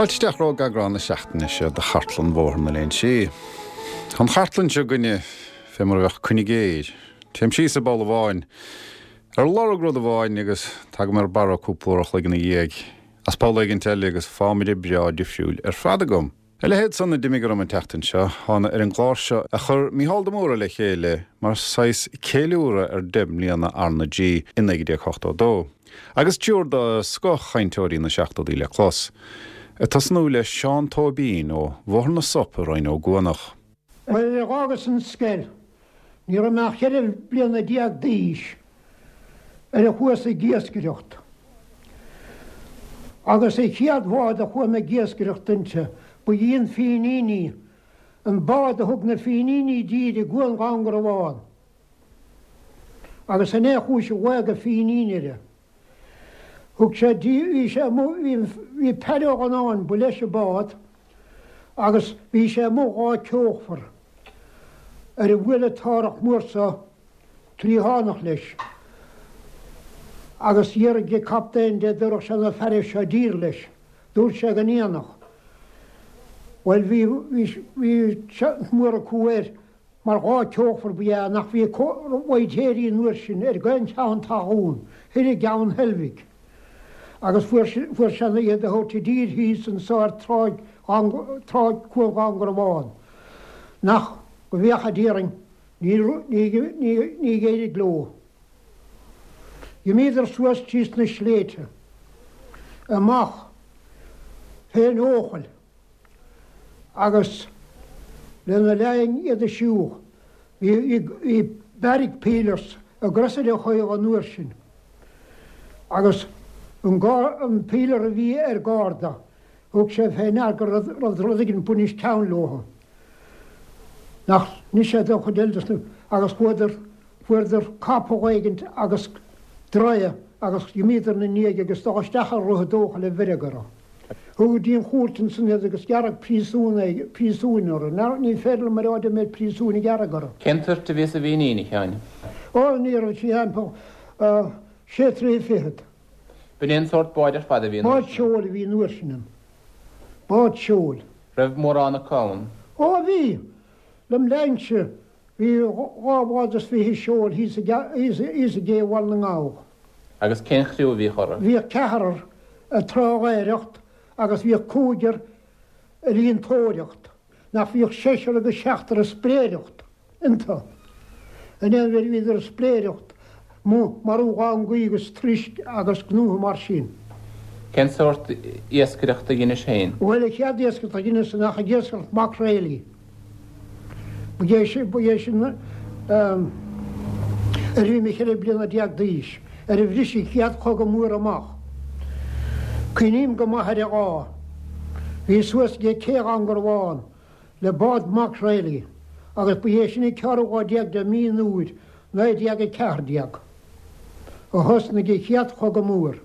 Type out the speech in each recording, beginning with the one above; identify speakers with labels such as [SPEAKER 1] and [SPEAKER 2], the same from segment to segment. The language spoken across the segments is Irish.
[SPEAKER 1] Fáilte isteach romhaibh ag eagrán na seachtaine seo de Chartlann Bhóthar na Léinsí. Tá an chartlann seo againne fé mar a bheadh coinigéir. Téim síos i bpoll amháin ar lorg rud amháin agus tagaim ar barra cúpla uair a chloig ina dhiaidh as poll éigint eile agus fámaire breá difriúil ar fad agam. A leithéid san a d'imigh orm an tseachtain seo, thána ar an gclár seo a chuir Mícheál de Mórdha le chéile mar saghas ceiliúradh ar 10 mbliana R na G i 1982, agus triúr de scoth-chainteoirí na seachtóidí le clos, ag tosnú le Seán Tóibín ó Bhóthar na Sop i Rinn Ó gCuanach.
[SPEAKER 2] Bhuel, d'fhágas an scoil, ní raibh mé ach 14 bliana d'aois, ar a chuas ag iascaireacht. Agus an chéad bhád a chuaigh mé ag iascaireacht inti, ba í an Fínín í, an bád a thug na Fíníní i dtír i gCuan Dhún Garbhán. Agus sin é an chúis a ghlaodh an Fínín uirthi. Thug sé dí, bhí sé amuigh, bhí, bhí Peaire Ó Dhonnáin, ba leis an bád, agus bhí sé amuigh dhá ceolfar ar a bhuail an t-árthach mór so triathánach leis agus d'fhiafraigh an captaen de dtabharfadh sé na fearaibh seo i dtír leis. Dúirt sé go ndéanfadh. Bhuel bhí, bhí, bhí seans mór acu air mar dhá ceolfar ba ea nach bhí bhaitéirí an uair sin ar aon cheann talún thoir i gCeann Heilbhic agus fuair, fuair sé iad a thabhairt i dtír thíos anso ar tráigh, tráigh Cuan Dhún Garbhán nach, go bhféacha Dia orainn. Ní d'éirigh leo. D'imíodar suas tríos na sléibhte, amach fén Eochaill agus lena linn iad a siúl, bhí barrack peelers i gCrosaire Chaol an uair sin agus an peeler a bhí ar garda, thug sé fé ndear go raibh rud éigin ag baint ceann leo. Nach d'inis sé don chuid eile dos na, agus chuadar, fuaireadar capall éigint agus draoi agus d'imíodar 'na ndiaidh agus dul isteach ar Dhroichead Eochaille a bheireadh orthu. Thugadh go dtí an chúirt ansan iad agus gearradh príosún, príosúin orthu. Ní féidir liom a rá dé méid príosúin a gearradh orthu.
[SPEAKER 3] Cén toirt a bhí sa bhFínín, a Sheáin?
[SPEAKER 2] Ó, ní raibh sí thimpeall sé troigh fichead.
[SPEAKER 3] B'in é an sórt báid ar fad a bhí an uair
[SPEAKER 2] Bád sin. seoil a bhí an uair sin ann. Bád seoil.
[SPEAKER 3] Raibh mórán acu ann?
[SPEAKER 2] Ó bhí! Lem linnse bhí dhá bhád is fiche seoil thíos i thíos i gcé Bhaile na nGall.
[SPEAKER 3] Agus cén chriú a bhíodh orthu?
[SPEAKER 2] Bhíodh ceathrar ag trálaeireacht agus bhíodh cúigear ag líontóireacht. Nach bhíodh seisear agus seachtar ag spréireacht iontu. In aon bheirt bhíodar ag spréireacht, marú langaí agus troisc agus gnótha mar sin.
[SPEAKER 3] Cén sórt iascaireachta a dheinis féin?
[SPEAKER 2] Bhuel, an chéad iascaireacht a dheineas ná ag iascaireacht maicréilí. Ba é sin, ba é sin nuair a bhí mé 14 bliana d'aois, ar a bhris an chéad chogadh mór amach. Cuimhním go maith ar an lá. Bhíos suas go Cé Dhún Garbhán le bád maicréilí agus ba é sin an ceathrú lá déag de mí an Iúir 1914 a thosnaigh an chéad chogadh mór.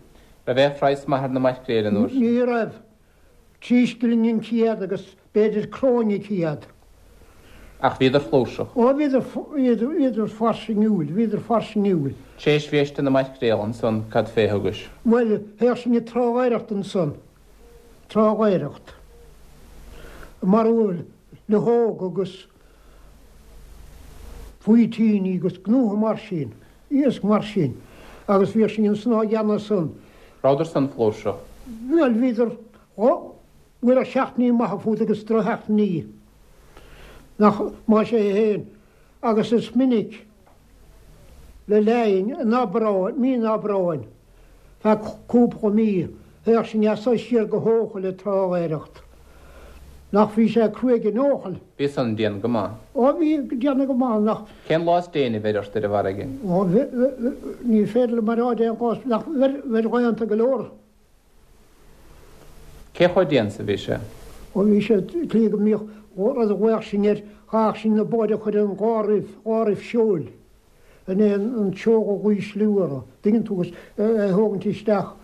[SPEAKER 3] Raibh aon phraghas maith ar na maicréil an uair sin?
[SPEAKER 2] Ní raibh. Trí scilling an céad agus b'fhéidir cróin an céad.
[SPEAKER 3] Ach bhíodar flúirseach.
[SPEAKER 2] Ó bhíodar, bhíodar fairsingiúil, bhíodar fairsingiúil.
[SPEAKER 3] Tréis bhéis de na maicréil ansan cad fé thugais?
[SPEAKER 2] Bhuel, théadh sinn ag trálaeireacht ansan, trálaeireacht. Ag marú luchóg agus faoitíní agus gnótha mar sin. Iasc mar sin. Agus bhíodh sinn ansan á dhéanamh san.
[SPEAKER 3] Rabhadar san flúirseach?
[SPEAKER 2] Bhuel, bhíodar, bhuel, seachtainí maithe fút agus drochsheachtainí. Nach, más é féin. Agus is minic le linn an Aibreáin, mí an Aibreáin, feadh cúpla mí, théadh sinn as so siar go hEochaill ag trálaeireacht. Nach bhí sé cruaidh in Eochaill.
[SPEAKER 3] Bhí san dian go maith.
[SPEAKER 2] Ó bhí dian go maith, nach.
[SPEAKER 3] Cén lá is déine a bheir ort ar an bhfarraige?
[SPEAKER 2] Ó bhí, ní féidir liom a rá cén lá, nach, bheir, bheir laethanta go leor.
[SPEAKER 3] Cé chomh dian 's a bhí sé?
[SPEAKER 2] Ó bhí sé, tslí go mbíodh rud a ghlaodh sinn air, chaithfeadh sinn na báid a chur ar an dhá roof, dhá roof seoil. in é an tseol a dh'ísliú orthu, dtuigeann tú, agus é a thógaint isteach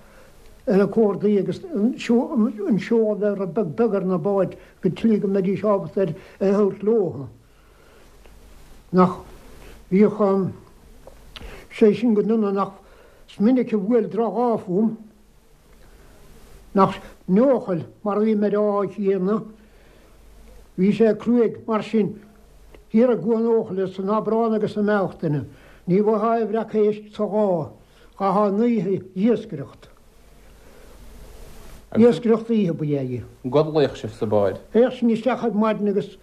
[SPEAKER 2] ar na cordaí agus an seol a bheith rud beag beag ar na báid go tslí go mbeidís ábalta ar é a thabhairt leo. Nach bhíodh sé sin go dona, nach is minic a bhuail droch-ádh fúm, nach. An eochaill, mar a bhí mé á dhéanamh, bhí sé cruaidh, mar sin, thiar i gCuan Eochaille san Aibreán agus i mBealtaine, ní bhfaightheá aon bhreac éisc sa lá, chaithfeá an oíche d'iascaireacht. Iascaireacht oíche ba ea í.
[SPEAKER 3] An gcodlaíodh sibh sa bhád?
[SPEAKER 2] Théadh sinn isteach ar maidin agus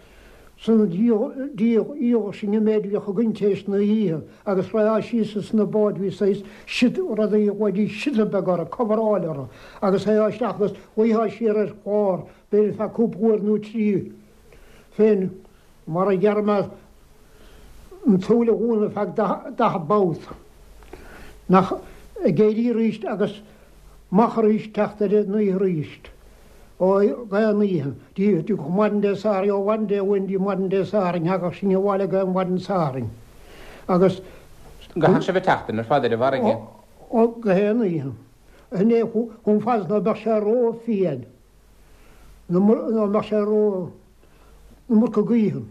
[SPEAKER 2] san dhíoladh sinn an méid a bhíodh againn tar éis na hoíche agus raghfá síos ins na báid bhí saghas siod rudaí a ghlaoidís siota beag orthu, coveráil orthu agus théifeá isteach agus luífeá siar ar chlár b'fhéidir feadh cúpla uair nó trí féin mar a déarfaidh mé an tsúil a dhúnadh feadh 40 babhta nach ag éirí arís agus amach arís teacht ar an oíche arís ó d'aon oíche dtí maidin Dé Sathairn, ó mhaidin Dé Luain dtí maidin Dé Sathairn, thagadh sinn abhaile d'aon mhaidin Sathairn agus.
[SPEAKER 3] Gcaitheadh sibh an tseachtain ar fad ar an bhfarraige?
[SPEAKER 2] Ó, d'aon oíche. Sin é chomh fada is ná beadh sé ró-fhiain, ná mbeadh sé ró, an iomarca gaoithe.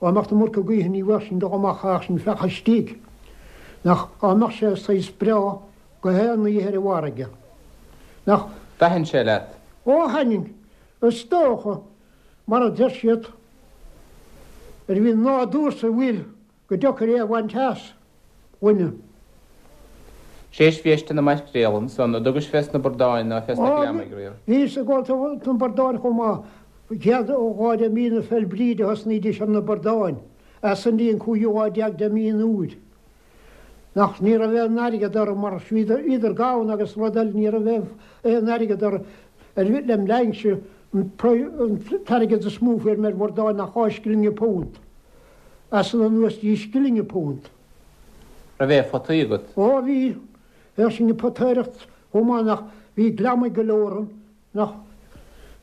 [SPEAKER 2] Dá mbeadh an iomarca gaoithe ní bheadh sinn dul amach ach sinn feach istigh. Nach dá mbeadh sé saghas breá go haon oíche ar an bhfarraige. Nach.
[SPEAKER 3] Thaitin sé leat?
[SPEAKER 2] Ó thaitin. Is dócha, mar a deir siad, ar bhí nádúr sa bhfuil Go deacair é a bhaint as dhuine.
[SPEAKER 3] Séis bhís de na maicréal ansan, an dtugais fés na bordáin ná fés na gliomaigh riamh?
[SPEAKER 2] Bhíos ag gabháil do na bordáin chomh maith. Chéad lá de mí na Féil' Bríde a thosnaídís ar na bordáin, as san dtí an cúigiú lá déag de mí an Iúir. Nach ní raibh aon airgead orthu mar bhíodar gann agus rud eile ní raibh aon airgead orthu lem linnse an t-airgead is mó a fuair mé ar bhordáin ná dhá scilling an punt. As san anuas dtí scilling an punt.
[SPEAKER 3] Raibh aon photaí agat?
[SPEAKER 2] Ó bhí. Bheadh sinn ag potaireacht chomh maith nach bhí gliomaigh go leor ann nach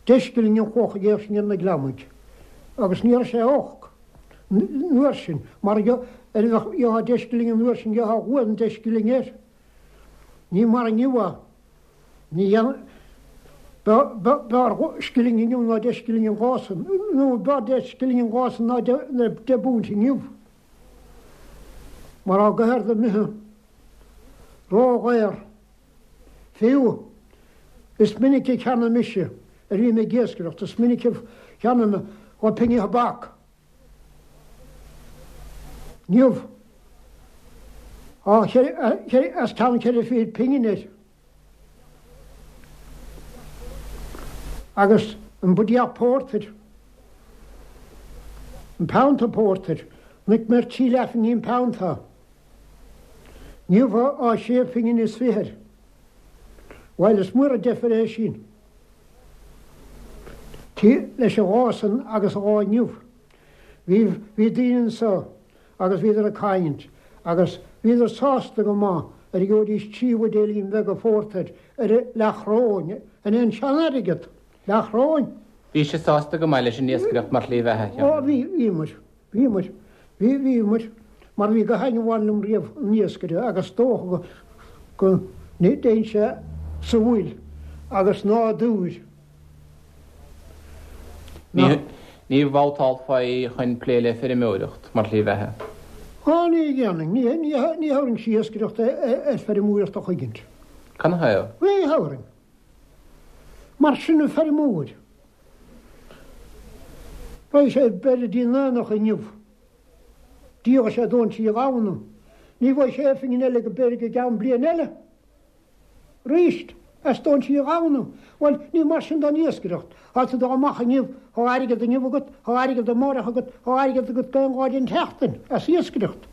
[SPEAKER 2] deich scilling an chloch a gheobhadh sinn ar na gliomaigh. Agus ní raibh sé olc an uair sin mar ar gheofá deich scilling an uair sin gheofá uaim deich scilling air. Ní mar inniu é. Ní dhéanfaidh. B'fhearr scilling inniu ná deich scilling an lá san, nó b'fhearr deich scilling an lá san ná deich bpunt inniu. Mar tá gach rud imithe ródhaor. Fiú, is minic a cheannaigh mise, ar bhí mé ag iascaireacht, is minic a cheannaigh mé dhá phingin thobac. Inniu, tá os cionn cheithre fichid pingin air. Agus an buidéal pórtair, an peannta pórtair, chonaic mé ar trí leathphingin an peannta. Inniu tá sé phingin is fiche air. Bhuel, is mór an deifir é sin. Leis an lá san agus an lá inniu. Bhí, bhí daoine anso agus bhíodar ag caint agus bhíodar sásta go maith ar a gheobhaidís trí bhuidéilín bheaga phórtair ar leathchróin, in aon sean-airgead, leathchróin.
[SPEAKER 3] Bhí sibh sásta go maith leis an iascaireacht mar shlí bheatha, a Sheáin?
[SPEAKER 2] Ó bhí, bhíomar, bhíomar, bhí, bhíomar, mar bhí gach éinne a bhain liom riamh an iascaire agus dócha go, go dtéann sé sa bhfuil agus nádúr.
[SPEAKER 3] Ní bhabhtálfaí chun plé le feirmeoireacht mar shlí bheatha.
[SPEAKER 2] Á, ní dhéanfainn. Ní thabharfainnse iascaireacht ar feirmeoireacht a chuigint.
[SPEAKER 3] Canathaobh?
[SPEAKER 2] Ní thabharfainn. Mar sin an feirmeoir. Beidh sé b'fhéidir dtí an aonach inniu. Díolfaidh sé dónn sí a ghamhna. Ní bhfaighidh sé aon phingin eile go b'fhéidir go gceann bliain eile. Arís, as dónn sí a ghamhna. Bhuel, ní mar sin don iascaireacht. Tá tú dul amach inniu, tá airgead inniu agat, tá airgead amárach agat, tá airgead agat d'aon lá den tseachtain, as iascaireacht.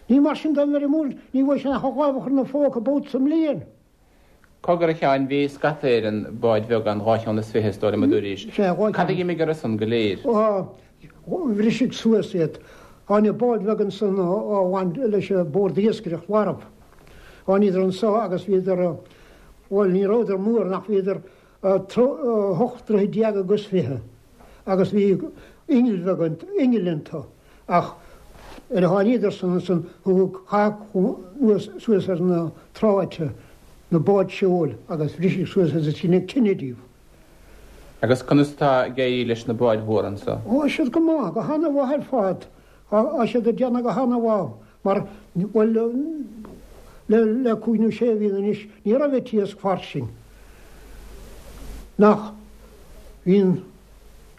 [SPEAKER 2] Ní mar sin don bhfeirmeoir, ní bhfaighidh sé ach a lámh a chur ina phóca babhta sa mbliain.
[SPEAKER 3] Cogar a Sheáin, bhí scata ar an bád bheag ann, dhá cheann is fiche, is dóigh liom a dúraís.
[SPEAKER 2] Sea, dhá
[SPEAKER 3] cheann. Cad a d'imigh orthu san go léir?
[SPEAKER 2] Ó, bhriseadh suas iad. Tháinig bád bheag ansan a bhain leis an Bord Iascaireacht Mharbh. Tháiníodar anso agus bhíodar, bhuel ní rabhadar mór nach bhíodar ocht dtroithe déag agus fiche agus bhí innill bheag iontu, innill iontu ach ar a tháiníodar san ansan thug caitheadh suas ar na tráite na báid seoil agus bhriseadh suas iad is deineadh tine díobh.
[SPEAKER 3] Agus conas atá ag éirí leis na báid mhóra anso?
[SPEAKER 2] Tá siad go maith, go hana-mhaith ar fad. Tá siad ag déanamh go hana-mhaith mar, bhuel, le cúig nó sé mhí anois ní raibh an t-iasc fairsing. Nach bhíonn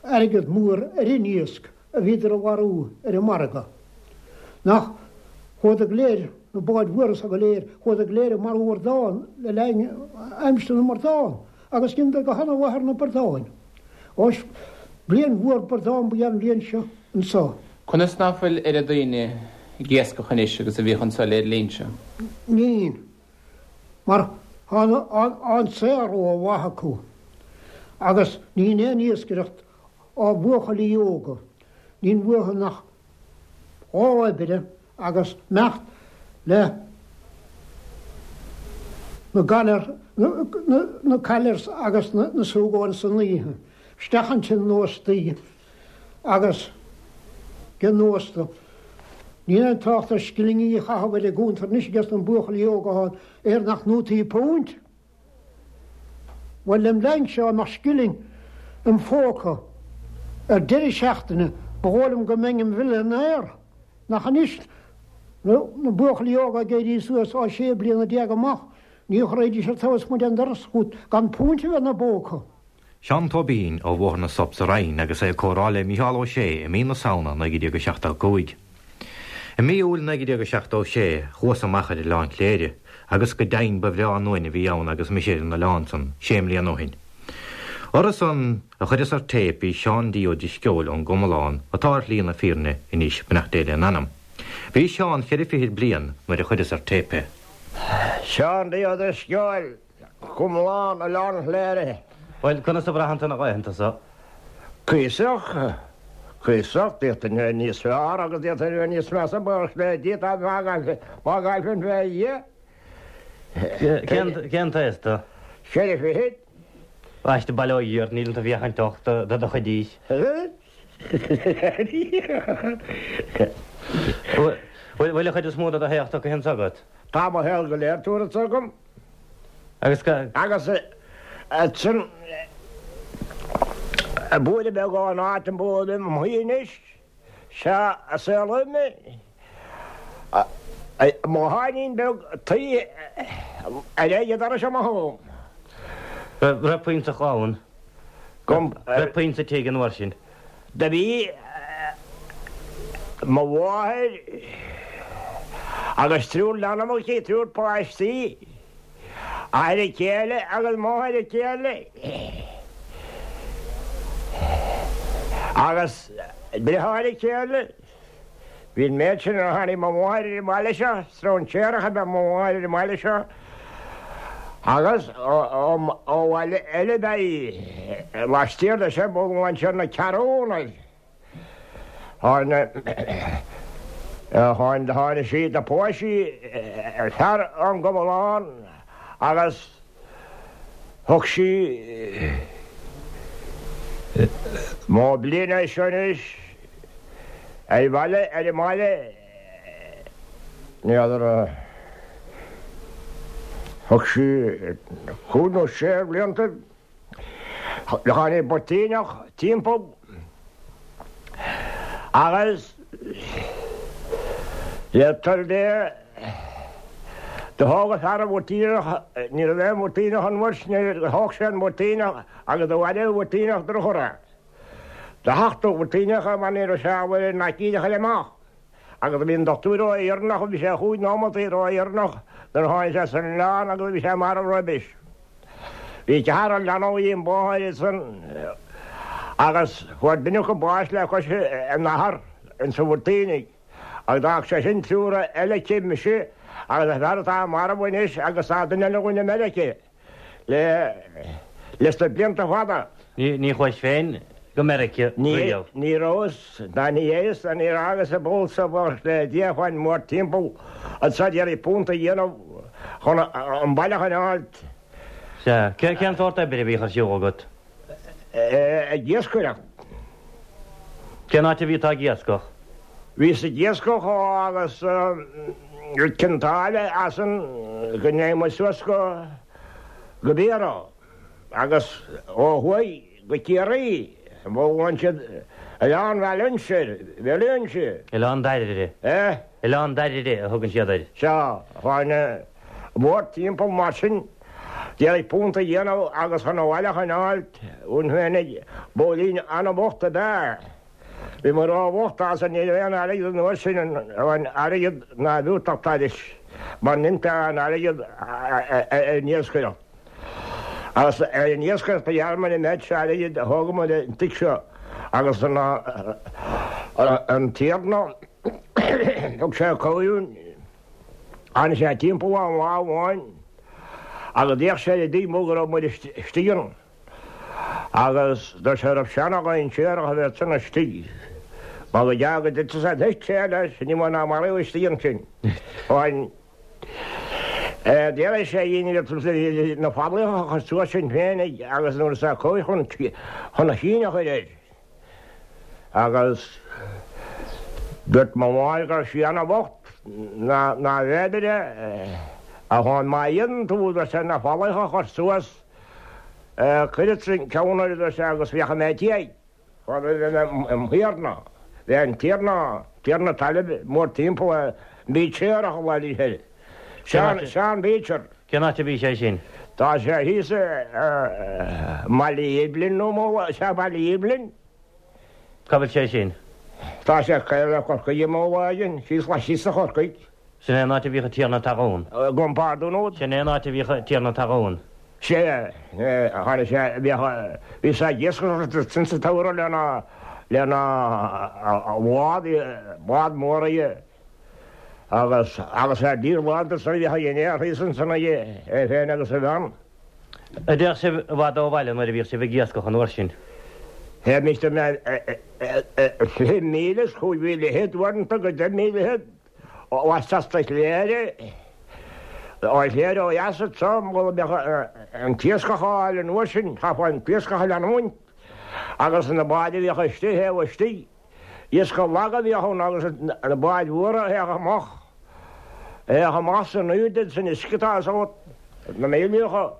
[SPEAKER 2] airgead mór ar an iasc a bhíodar a mharú ar an margadh. Nach chuadar go léir, na báid mhóra so go léir, chuadar go léir ag marú ardán le linn aimsir na mbradán agus dheineadar go hana-mhaith ar na bradáin. Ó, bliain mhór bradán ba ea an bhliain seo anso.
[SPEAKER 3] Conas ná fuil oiread daoine ag iascach anois agus a bhíodh anso lé'r linn-se?
[SPEAKER 2] Níl. Mar tá an saol ró-mhaith acu agus níl aon iascaireacht ó bhuachaillí óga, níl uathu nach lá oibre agus imeacht le na galair, na callers agus na súgáin san oíche, isteach ansin in óstaí agus ag an ósta. Níl aon trácht ar scillingí a chaitheamh ar an gcuntar anois ages na buachaillí óga ann air nach nótaí púint. Bhuel, lem linn-se dá mbeadh scilling im phóca ar deireadh seachtaine ba dhóigh liom go mbeinn im mhillionaire. Nach anois na buachaillí óga ag éirí suas ó 16 bliana amach ní chuirfidís an taobh amuigh den doras chút gan púint a bheith ina bpóca.
[SPEAKER 4] Seán Tóibín ó Bhóthar na Sop sa Rinn agus é ag comhrá le Mícheál Ó Sé i mí na Samhna 1975. I mí Iúil 1976 chuas amach ar Oileán Chléire agus go deimhin ba bhreá an uain a bhí ann agus mise ar an oileán san sé mbliana ó shin. Orthu san a chuireas ar téip bhí Seán D. Ó Drisceoil ón gComalán atá ar shlí na fírinne anois beannacht Dé lena anam. Bhí Seán cheithre fichid bliain nuair a chuireas ar téip é.
[SPEAKER 5] Seán D. Ó Drisceoil. Comalán, Oileán Chléire.
[SPEAKER 4] Bhuel, conas a bhraitheann tú na laethanta so?
[SPEAKER 5] Cuíosach, cuíosach, d'fhéadfainn a bheith níos fearr agus d'fhéadfainn a bheith níos measa, buíochas le Dia, tá má gcaillfinn fé Dhia.
[SPEAKER 4] Cén, cén t-aois tú?
[SPEAKER 5] Ceithre fichid.
[SPEAKER 4] Bhaiste, bail ó Dhia ort, níl iontu féachaint ucht do do chuid aois. Bhfuil, bhfuil an chuid is mó de do shaol tugtha anso agat?
[SPEAKER 5] Tá mo shaol go léir tabhartha anso agam.
[SPEAKER 4] Agus go.
[SPEAKER 5] Agus ansin buaile beag ón áit a bhfuilim im shuí anois, sea a saolaíodh mé. Mo tháinín beag tuí ar aghaidh an dorais amach agam.
[SPEAKER 4] Raibh puinn sa chlann? Raibh puinn sa tigh an uair sin?
[SPEAKER 5] Do bhí mo mháthair agus triúr leanbh aici, triúr páistí, athair a céile agus máthair a céile agus deartháir a céile. Bhí an méid sin nuair a tháinig mo mháthair ar an mbaile seo, stróinséarach ab ea mo mháthair ar an mbaile seo agus ó bhaile eile ab ea í, laistiar de seo, bhuel ansin na Ceathrúna. Tháinig sí, do phós sí fear ón gComalán agus thug sí mó bliain é seo anois ar bhaile, ar an mbaile, n'fheadar, thug sí cúig nó sé bhlianta, tháinig buirtíneach timpeall agus le toil Dé do thóg an fear an bhuirtíneach, ní raibh aon bhuirtíneach an uair sin, thóg sé an buirtíneach agus do mharaigh an buirtíneach drochthortha. Do thachtadh an buirtíneach é mar ní raibh sé ábalta an aicíd a chur amach. Agus do bhí an dochtúir ró-dheireanach, bhí sé chúig nóimeataí ró-dheireanach nuair a tháinig sé san oileán agus bhí sé marbh roimis. Bhí ceathrar leanbh ag an mháthair ansan agus fuair duine acu bás le cois a n-athar insa bhuirtínigh agus d'fhág sé sin triúr eile aici, mise agus an fear atá marbh anois agus tá duine eile againn i Meirice le leis na blianta fada.
[SPEAKER 4] Ní chuais féin go Meirice riamh?
[SPEAKER 5] Ní rabhas, ná ní fhéadfas, ná ní fhágas an ball so buíochas le Dia chuaigh mórthimpeall anso ag iarraidh punt a dhéanamh chun an baile a choinneáilt.
[SPEAKER 4] Sea. Cén sórt oibre a bhíodh ar siúl agat?
[SPEAKER 5] Ag iascaireacht.
[SPEAKER 4] Cén áit a bhí tú ag iascach?
[SPEAKER 5] Bhíos ag iascach ó fhágas Cionn tSáile as an go ndeachaigh muid suas go go Biorra agus ó thuaidh go Ciarraí. Bhuel siad Oileán Bhaile Bhaile
[SPEAKER 4] Oileán Dairbhre.
[SPEAKER 5] Eh?
[SPEAKER 4] Oileán Dairbhre a thugann siad air.
[SPEAKER 5] Sea, tháinig mórthimpeall mar sin. D'iarraidh punt a dhéanamh agus chun an bhaile a choinneáilt uainn féinig. Buachaillín ana-bhocht ab ea é. Bhíomar ró-bhocht as ní raibh aon airgead an uair sin, an airgead ná bhfiúntach thairis mar n'imteá an airgead ar an iascaireacht. Agus ar an iascaireacht a ghearramar an méid seo airgid a thógamar an tigh seo agus an an tiarna thug sé cuireadh tháinig sé timpeall ann lá amháin agus d'fhéach sé ar an dtigh amuigh go raibh muid istigh ann. Agus dúirt sé raibh sé ana-dhainséarach a bheith ansan istigh. Mar go gearr go dtitfeadh sé, thit sé leis, ní mó ná maraíodh istigh ansin. Fáin. D'iarraidh sé dhínn na fallaí a chur suas sinn féinig agus nuair is a chuaigh chun chun a chinn a chur air. Agus dúirt mo mháthair go raibh sí ana-bhocht ná ná bhféadfair é a fháin má fhéadann tú, dúirt sé, na fallaí a chur suas. Cuirfeadsa an ceann air, a dúirt sé, agus féachfaidh mé cé an tiarna. Bhí an tiarna, tiarna talaimh mórthimpeall air, Bícéarach a ghlaoidís air. Seán, Seán Beecher.
[SPEAKER 4] Cén áit a bhí sé sin?
[SPEAKER 5] Tá sé thíos i mBaile Ghibhlinn nó mo, sea Baile Ghibhlinn.
[SPEAKER 4] Cá bhfuil sé sin?
[SPEAKER 5] Tá sé le Corcaigh i mo bháigin, síos, síos le Corcaigh.
[SPEAKER 4] Sin é an áit a bhíodh an tiarna talún.
[SPEAKER 5] Gabhaim pardún uait.
[SPEAKER 4] Sin é an áit a bhíodh an tiarna talún.
[SPEAKER 5] Sea, tháinig sé, bhíodh, bhí sé ag iascaireacht ansin sa tsamhradh lena, lena bhád, bád mór aige agus, agus ar díol lán de san a bhíodh a dhinnéar thíos ansin aige, é féin agus a bhean.
[SPEAKER 4] An dtéadh sibh i bhfad ó bhaile nuair a bhíodh sibh ag iascach an uair sin?
[SPEAKER 5] Théimis de 20 míle is chúig mhíle fhichead uaireanta go deich míle fhichead. Laisteas de Chléire, ó Chléire ó dheas anseo, mura mbeadh an t-iascach á fháil an uair sin, chaithfeá an t-iascach a leanúint agus na báid a bhíodh istigh, thaobh istigh, iascach lag a bhíodh ann agus na báid mhóra a théadh amach, a théadh amach san aoirde san uisce atá agat, na míleacha,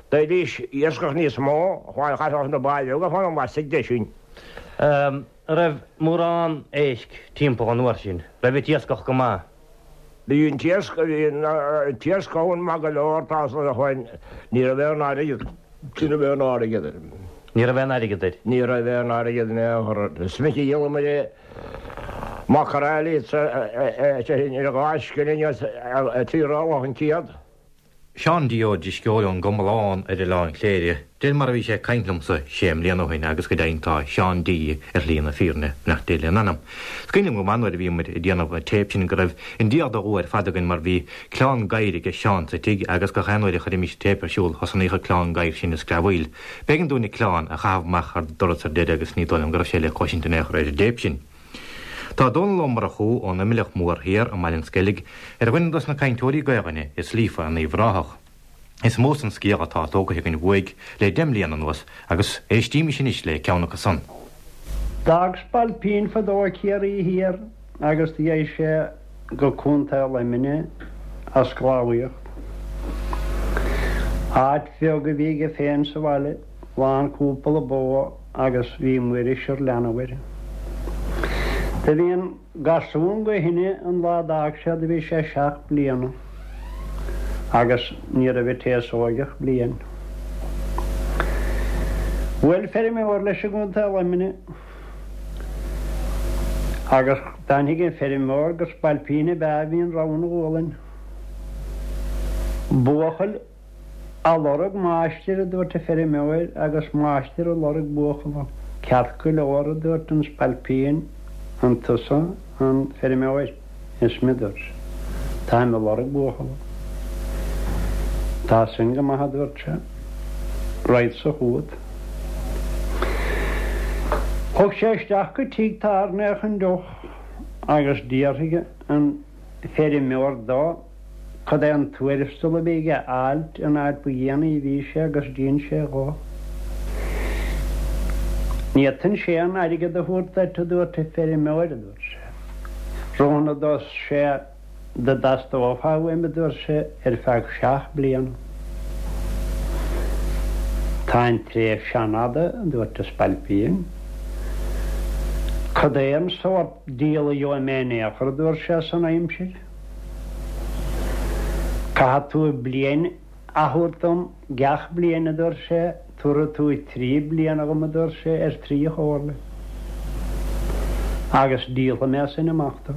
[SPEAKER 5] d'fhaighidís iascach níos mó, chaithfeadh na báid bheaga fanacht laistigh de sin.
[SPEAKER 4] An raibh mórán éisc timpeall an uair sin? Raibh an t-iascach go maith?
[SPEAKER 5] Bhí an t-iasc, bhí an t-iasc ann maith go leor, tá a fhios agat, ní raibh aon airgead, ní raibh aon airgead air.
[SPEAKER 4] Ní raibh aon airgead air?
[SPEAKER 5] Ní raibh aon airgead in aon chor air. Is minic a dhíolamar é, macraeilí ar dhá scilling trí rollach an céad.
[SPEAKER 4] Seán D. Ó Drisceoil ón gComalán ar Oileán Chléire, de réir mar a bhí sé ag caint liomsa sé mbliana ó shin agus go deimhin tá Seán D. ar shlí na fírinne, beannacht Dé lena anam. Is cuimhin liom go maith nuair a bhíomar ag déanamh an téip sin go raibh i ndiaidh do dhua ar fad againn mar bhí cleán gadhair aige Seán sa tigh agus gach aon uair a chuirimis an téip ar siúl thosnaíodh an cleán gadhair sin ag screamhaíl. B'éigean dúinn an cleán a chaitheamh amach thar doras ar deireadh agus ní dóigh liom go raibh sé le cloisint in aon chor ar an dtéip sin. Tá Dónall Ó Murchú ón Imleach Mór Thiar i mBaile an Sceilg ar dhuine dos na cainteoirí Gaelainne is líofa in Uíbh Ráthach. Is mó san scéal atá tógaithe againn uaidh le deich mbliana anuas agus éistímis anois le ceann acu san.
[SPEAKER 6] D'fhág spailpín fadó Ciarraí Thiar agus do dheaghaidh sé go Contae Luimnigh a' sclábhaíocht. Áit bheag a bhí aige féin sa bhaile, lán cúpla bó agus bhí Muiris ar leanbh air. Do bhí an garsún go shine an lá d'fhág sé do bhí sé seacht bliana agus ní raibh an té is óige ach bliain. Bhuail feirmeoir leis i gContae Luimnigh agus d'aithnigh an feirmeoir gur spailpín ab ea a bhí an rogha ina ghualainn. Buachaill a lorg máistir, a dúirt an feirmeoir, agus máistir a lorg buachalla. Ceart go leor, a dúirt an spailpín, an tusa an feirmeoir? Is mé, a dúirt sé. Táim a lorg buachalla. Tá sin go maith, a dúirt sé. Raghadsa chugat. Thug sé isteach go tigh tábhairne é chun deoch agus d'fhiafraigh an feirmeoir dó cad é an tuarastal a bhí aige a fháilt an fhaid ba dhéanaí a bhí sé agus d'ins sé dhó. Ní fhéadfainnse aon airgead a thabhairt duit, a dúirt an feirmeoir, a dúirt sé. Roghnódh sé dá dteastófá uaim, a dúirt sé, ar feadh seacht bliana. Tá an tréimhse an-fhada, a dúirt an spailpín. Cad é an sórt díola a gheobhaidh mé in aon chor, a dúirt sé, san aimsir? Caithfidh tú bliain. a thabhairt dom gach bliain, a dúirt sé, tabharfaidh tú 3 bliana dhom, a dúirt sé, ar thrí chomhairle. Agus díolfaidh mé as sin amach tú.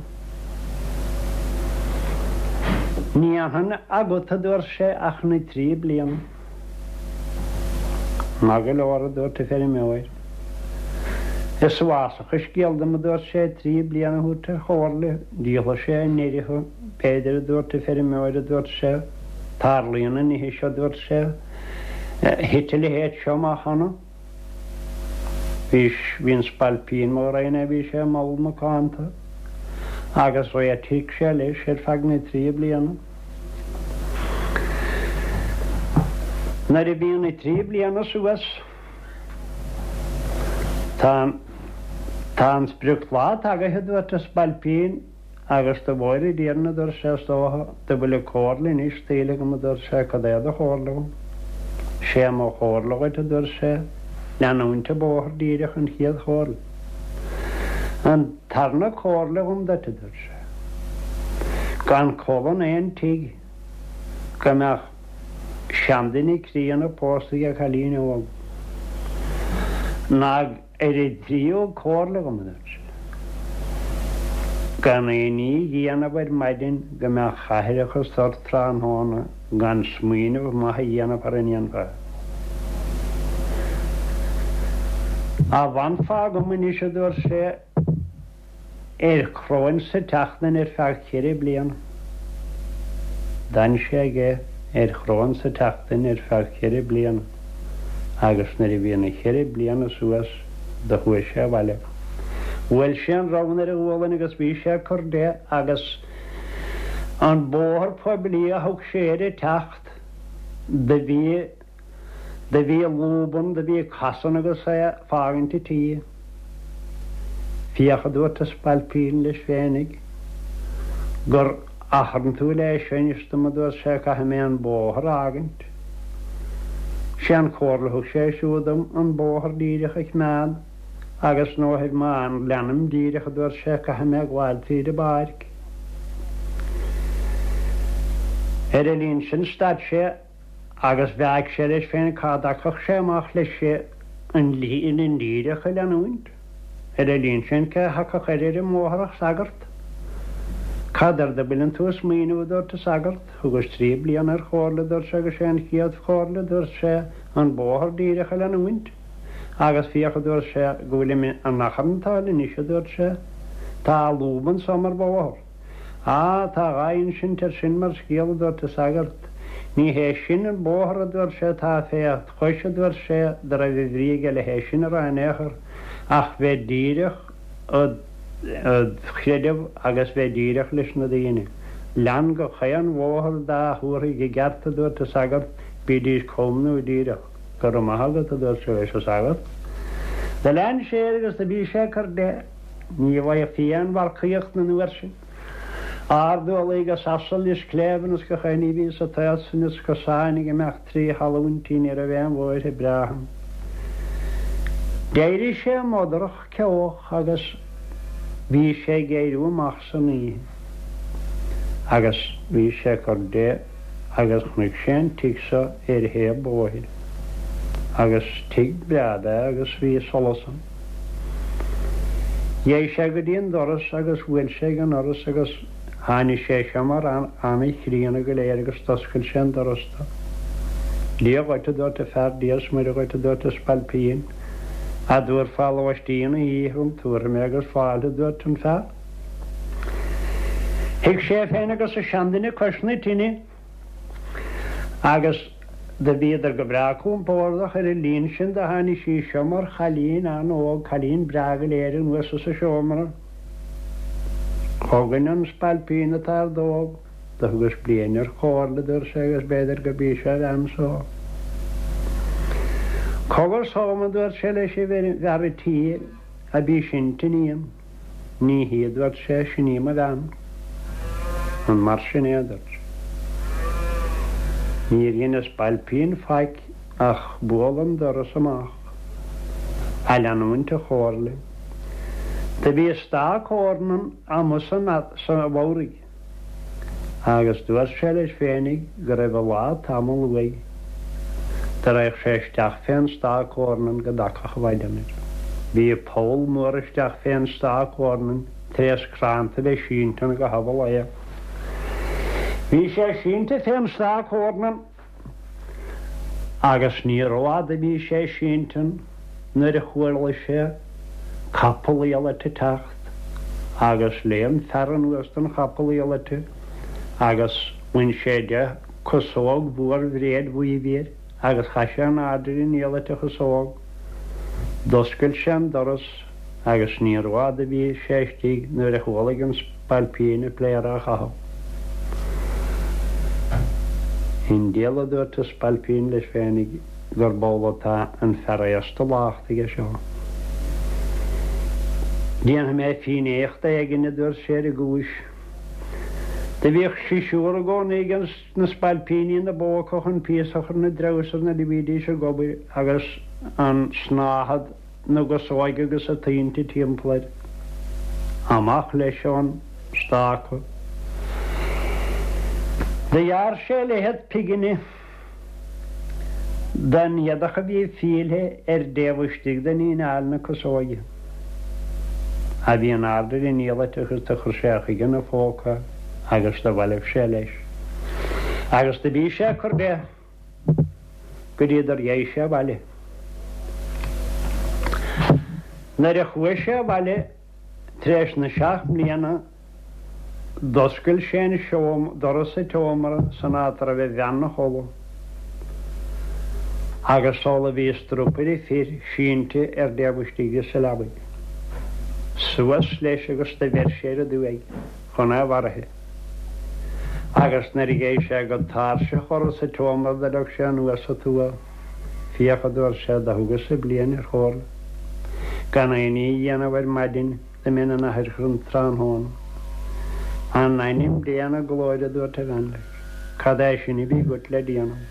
[SPEAKER 6] Ní fhanfainn agat, a dúirt sé, ach na trí bliana. Maith go leor, a dúirt an feirmeoir. Is uafásach an scéal dom, a dúirt sé, 3 bliana a thabhairt ar chomhairle, díolfaidh sé i ndeireadh thú, b'fhéidir, a dúirt an feirmeoir, a dúirt sé, tarlaíonn na nithe seo, a dúirt sé, thit a leithéid seo amach cheana. Bhí, bhí an spailpín mo ghreidhne é, bhí sé mall macánta agus réitigh sé leis ar feadh na dtrí bliana. Nuair a bhí na trí bliana suas, tá, tá an sprioclá tagaithe, a dúirt an spailpín, agus do mhóir an Tiarna, a dúirt sé, is dócha, do bhfuil comhairle anois tuillte agam, a dúirt sé, cad é do chomhairle dhom? Sé mo chomhairle dhuit, a dúirt sé, leanúint an bóthar díreach an chéad chomhairle. An tarna comhairle dhom duit, a dúirt sé, gan codladh in aon tigh go mbeadh seanduine críonna pósta ag cailín óg, ná ar an dtríú comhairle dhom, a dúirt sé, gan aon ní a dhéanamh ar maidin go mbeadh aithreachas ort tráthnóna gan smaoineamh maith a dhéanamh thar a ndéanfá. Dá bhfanfá agam anois, a dúirt sé, ar chróin sa tseachtain ar feadh cheithre bliana. D'fhan sé aige ar chróin sa tseachtain ar feadh cheithre bliana agus nuair a bhí na cheithre bliana suas do chuaigh sé abhaile. Bhuail sé an ramhan ar a ghualainn agus bhí sé ag cur de agus an bóthar poiblí a thug sé air ag teacht do bhí Do bhí lúb ann, do bhí casan agus é ag fágaint an tí. Féach, a dúirt an spailpín leis féinig, gur achrann tú le seo a inis dom, a dúirt sé, caithfidh mé an bóthar a fhágaint. Sé an chomhairle a thug sé siúd dom an bóthar díreach a choimeád agus nó má leanaim díreach, a dúirt sé, caithfidh mé gabháil tríd an bpáirc. Ar an líon sin stad sé. Agus mheáigh sé leis féin cá dtagfadh sé amach leis an líne dhíreach a leanúint. Ar an líon sin cé a thiocfadh air ar an mbóthar ach sagart. Cad air do bhfuileann tú ag smaoineamh, a dúirt an sagart. Thugais 3 bliana ar chomhairle, a dúirt sé, agus sé an chéad chomhairle, a dúirt sé, an bóthar díreach a leanúint. Agus féach, a dúirt sé, go bhfuilim in achrann atá anois, a dúirt sé. Tá lúb anso mar bhóthar. Á, tá dhá insint air sin mar scéal, a dúirt an sagart. Ní hé sin an bóthar, a dúirt sé, atá fé chois, a dúirt sé, do raibh a bhrí aige le hé sin a rá in aon chor, ach bheith díreach id chreideamh agus bheith díreach leis na daoine. Lean gach aon bhóthar dá thabharfaidh i gceart, a dúirt an sagart, bídís cam nó díreach. Go raibh maith agat, a dúirt sé leis an sagart. Do lean sé air agus do bhí sé ag cur de. Ní bhfaighfí aon mharcaíocht an uair sin. Ard-eolaí agus asail is cléibheanna is gach aon ní a bhí sa tsaol sin is cosáin ag imeacht trí thalúintí ní raibh aon bhóithre breátha ann. D'éirigh sé modarach ceoch agus bhí sé ag éiriú amach san oíche agus bhí sé ag cur de agus chonaic sé an tigh so ar thaobh bóthair agus tigh breá ab ea agus bhí solas ann. Dheigh sé go dtí an doras agus bhuail sé ag an ndoras agus tháinig sé seo mar ana-chríonna go léir agus d'oscail sé an doras dó. Dia dhuit, a dúirt an fear, Dia is Muire dhuit, a dúirt an spailpín. A dtabharfá lóistín na hoíche dhom, tabharfaidh mé agus fáilte, a dúirt an fear. Shuigh sé féin agus an seanduine cois na tine. Agus do bhíodar go breá compordach ar an líon sin do tháinig sí seo mar chailín an-óg, cailín breá go léir anuas as an seomra. Chugainn an spailpín an t-ordóg, do thugas bliain ar chomhairle, dúirt sé, agus b'fhéidir go b'í seo a bhean so. Cogar dhom, a dúirt sé leis an bhfear a' tí, ab í sin t'iníon. Ní hí, a dúirt sé, sin í mo bhean. An mar sin é, a dúirt sé. Níor dhein an spailpín faic ach bualadh an doras amach, a leanúint a chomhairle. Do bhí stac eornan amuigh sa bhodhraigh. Agus dúirt sé leis féinig go raibh a laghad tamall uaidh dá raghadh sé isteach fén stoc eornan go dtagfadh an mhaidean air. Bhí poll mór isteach fén stoc eornan tar éis crannta a bheith sínte ann i gcaitheamh an lae. Bhí sé sínte fén stoc eornan agus ní rófhada a bhí sé sínte ann nuair a chuala sé capall iallait ag teacht agus léim fear anuas den chapall iallait agus bhain sé de chosóg mhór bhréid bhuí a bhí air agus chaith sé in airde ar an iallait an chosóg. D'oscail sé an doras agus ní rófhada a bhí sé istigh nuair a chualaidh an spailpín a pléar á chaitheamh. I ndiaidh a dúirt an spailpín leis féinig gurb amhlaidh atá an fear aosta lachta aige seo. Déanfaidh mé fínnéacht éigin, a dúirt sé ar an gcúis. Do bhíodh sisiúr i gcónaí ag na spailpíní ina bpóca chun píosa a chur ina dtreabhsar nuair a bhídís ag obair agus an snáthaid na gcosóige agus an tointe timpeall air. Amach leis ón stáca. Do ghearr sé leithead pighne den éadach a bhí fillte ar an dtaobh istigh de líneáil na cosóige, a bhí in airde ar an iallait agus do chuir sé chuige ina phóca agus do bhailigh sé leis. Agus do bhí sé ag cur de go dtí gur dheigh sé abhaile. Nuair a chuaigh sé abhaile tar éis na seacht mbliana d'oscail sé an seom, doras an tseomra san áit a raibh a bhean 'na chodladh agus amhlaidh a bhí strupaire fir sínte ar an dtaobh istigh di sa leabaidh. Suas leis agus do bheir sé ar aduaidh chun é mharaithe. Agus nuair a gheibh sé go tairseach dhoras an tseomra do leag sé anuas a tua. Féach, a dúirt sé, do thugas-sa bliain ar chomhairle gan aon ní a dhéanamh ar maidin dá mbeinn in aithirseach an tráthnóna. In ainm Dé na glóire, a dúirt a bhean leis, cad é sin a bhí agat le déanamh?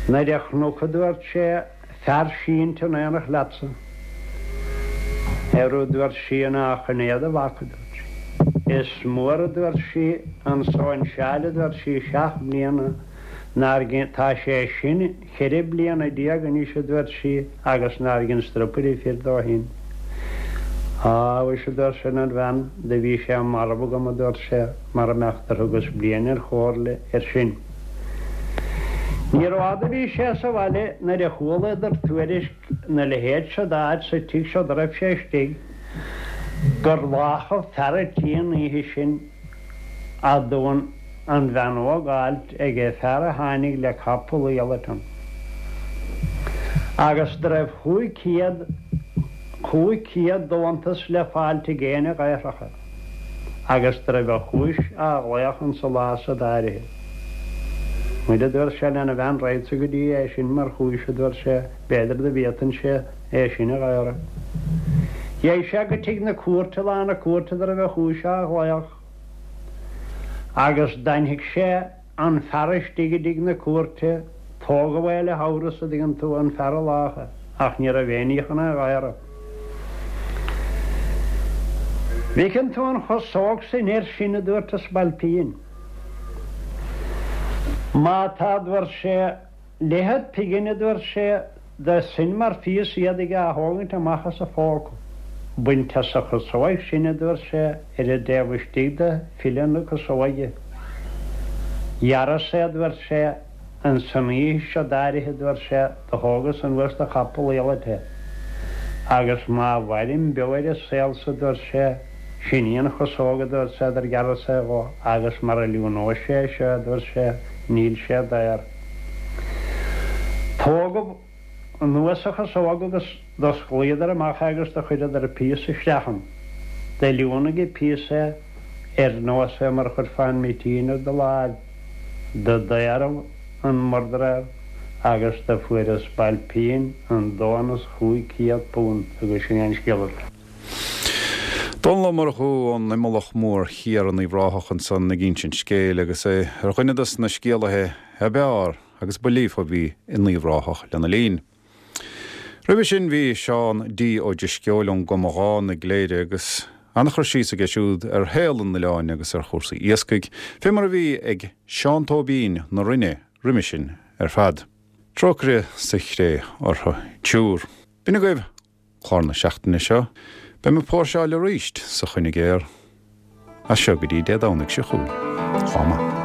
[SPEAKER 6] Nuair a chonac, a dúirt sé, fear sínte in aonacht leatsa. Arú, a dúirt sí, nach in é do mhac, a dúirt sí. Is mór, a dúirt sí, an sóinseáil, a dúirt sí, seacht mbliana nár ghin, tá sé sin cheithre bliana anois, a dúirt sí, agus nár ghin strupaire fir dó shin. Á, mhuise, a dúirt sé lena bhean, do bhí sé marbh agam, a dúirt sé, mara mbeadh gur thugas bliain ar chomhairle air sin. Ní rófhada a bhí sé sa bhaile nuair a chualadar tuairisc 'na leithéid seo d'áit sa tigh seo dá raibh sé istigh, gur láchadh fear a' tí an oíche sin eadhon an bhean óg fháilt age fear a tháinig le capall iallait ann. Agus do raibh 500, 500 deontas le fáilt ag éinne a dhaorfadh é. Agus do raibh a chúis á ghlaoch insa lá san áirithe. Muire, a dúirt sé lena bhean, raghadsa go dtí é sin mar chúis, a dúirt sé, b'fhéidir do bhféadfainnse é sin a dhaoradh. Dheigh sé go tigh na cúirte lá na cúirte do raibh a chúis á ghlaoch agus d'aithnigh sé an fear istigh i dtigh na cúirte, tógadh é le hamhras, a dtuigeann tú, an fear a lách é, ach ní raibh éinní chun é a dhaoradh. Bhfeiceann tú an chosóg san air sin, a dúirt an spailpín. Má tá, a dúirt sé, Leithead pighne, a dúirt sé, de sin mar phíosa éadaigh á thógaint amach as a phóca. Baint as a chosóig sin, a dúirt sé, ar an dtaobh istigh de philleadh na cosóige. Ghearras é, a dúirt sé, ins an oíche seo d'áirithe, a dúirt sé, do thógas anuas de chapall iallait é. Agus má mhairim beo ar an saol so, a dúirt sé, Sin í an chosóg, a dúirt sé, dar ghearras é dho, agus mara liúnóidh sé é seo, a dúirt sé, níl sé daor. Tógadh anuas an chosóg agus d'osclaíodar amach é agus do chuireadar an píosa isteach ann. Do liúnaigh an píosa é ar nós é mar a chuirfeá an mitín ar do láimh. Do daoradh an murdréir agus do fuair an spailpín an deontas £500 agus sin é an scéal.
[SPEAKER 1] Dónall Ó Murchú ón Imeallach Mór Thiar in Uíbh Ráthach ansan ag insint scéil agus é ar dhuine dos na scéalaithe ab fhearr agus ba líofa a bhí in Uíbh Ráthach lena linn. Roimhe sin bhí Seán D. Ó Drisceoil ón gComadhán i gCléire agus. An-chur síos aige siúd ar shaol an oileáin agus ar chúrsaí iascaigh, fé mar a bhí ag Seán Tóibín na Rinne roimhe sin ar fad. Trócaire sa chré orthu triúr. B'in agaibh clár na seachtaine seo. Beidh mé ag póirseáil arís sa Choinigéar as seo go dtí Dé Domhnaigh seo chugainn. Lá maith.